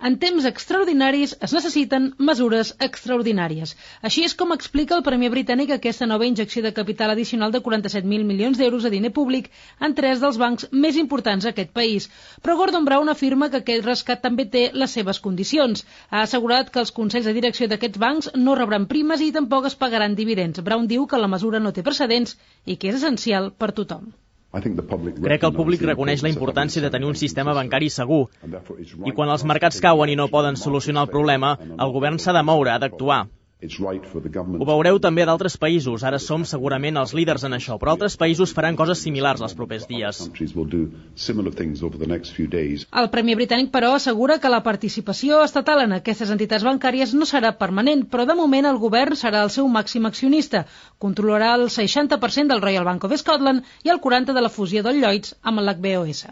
En temps extraordinaris es necessiten mesures extraordinàries. Així és com explica el Premier britànic aquesta nova injecció de capital addicional de 47.000 milions d'euros de diner públic en 3 dels bancs més importants d'aquest país. Però Gordon Brown afirma que aquest rescat també té les seves condicions. Ha assegurat que els consells de direcció d'aquests bancs no rebran primes i tampoc es pagaran dividends. Brown diu que la mesura no té precedents i que és essencial per tothom. Crec que el públic reconeix la importància de tenir un sistema bancari segur i quan els mercats cauen i no poden solucionar el problema, el govern s'ha de moure, ha d'actuar. Ho veureu també d'altres països, ara som segurament els líders en això, però altres països faran coses similars els propers dies. El Premier britànic, però, assegura que la participació estatal en aquestes entitats bancàries no serà permanent, però de moment el govern serà el seu màxim accionista. Controlarà el 60% del Royal Bank of Scotland i el 40% de la fusió del Lloyds amb l'HBOS.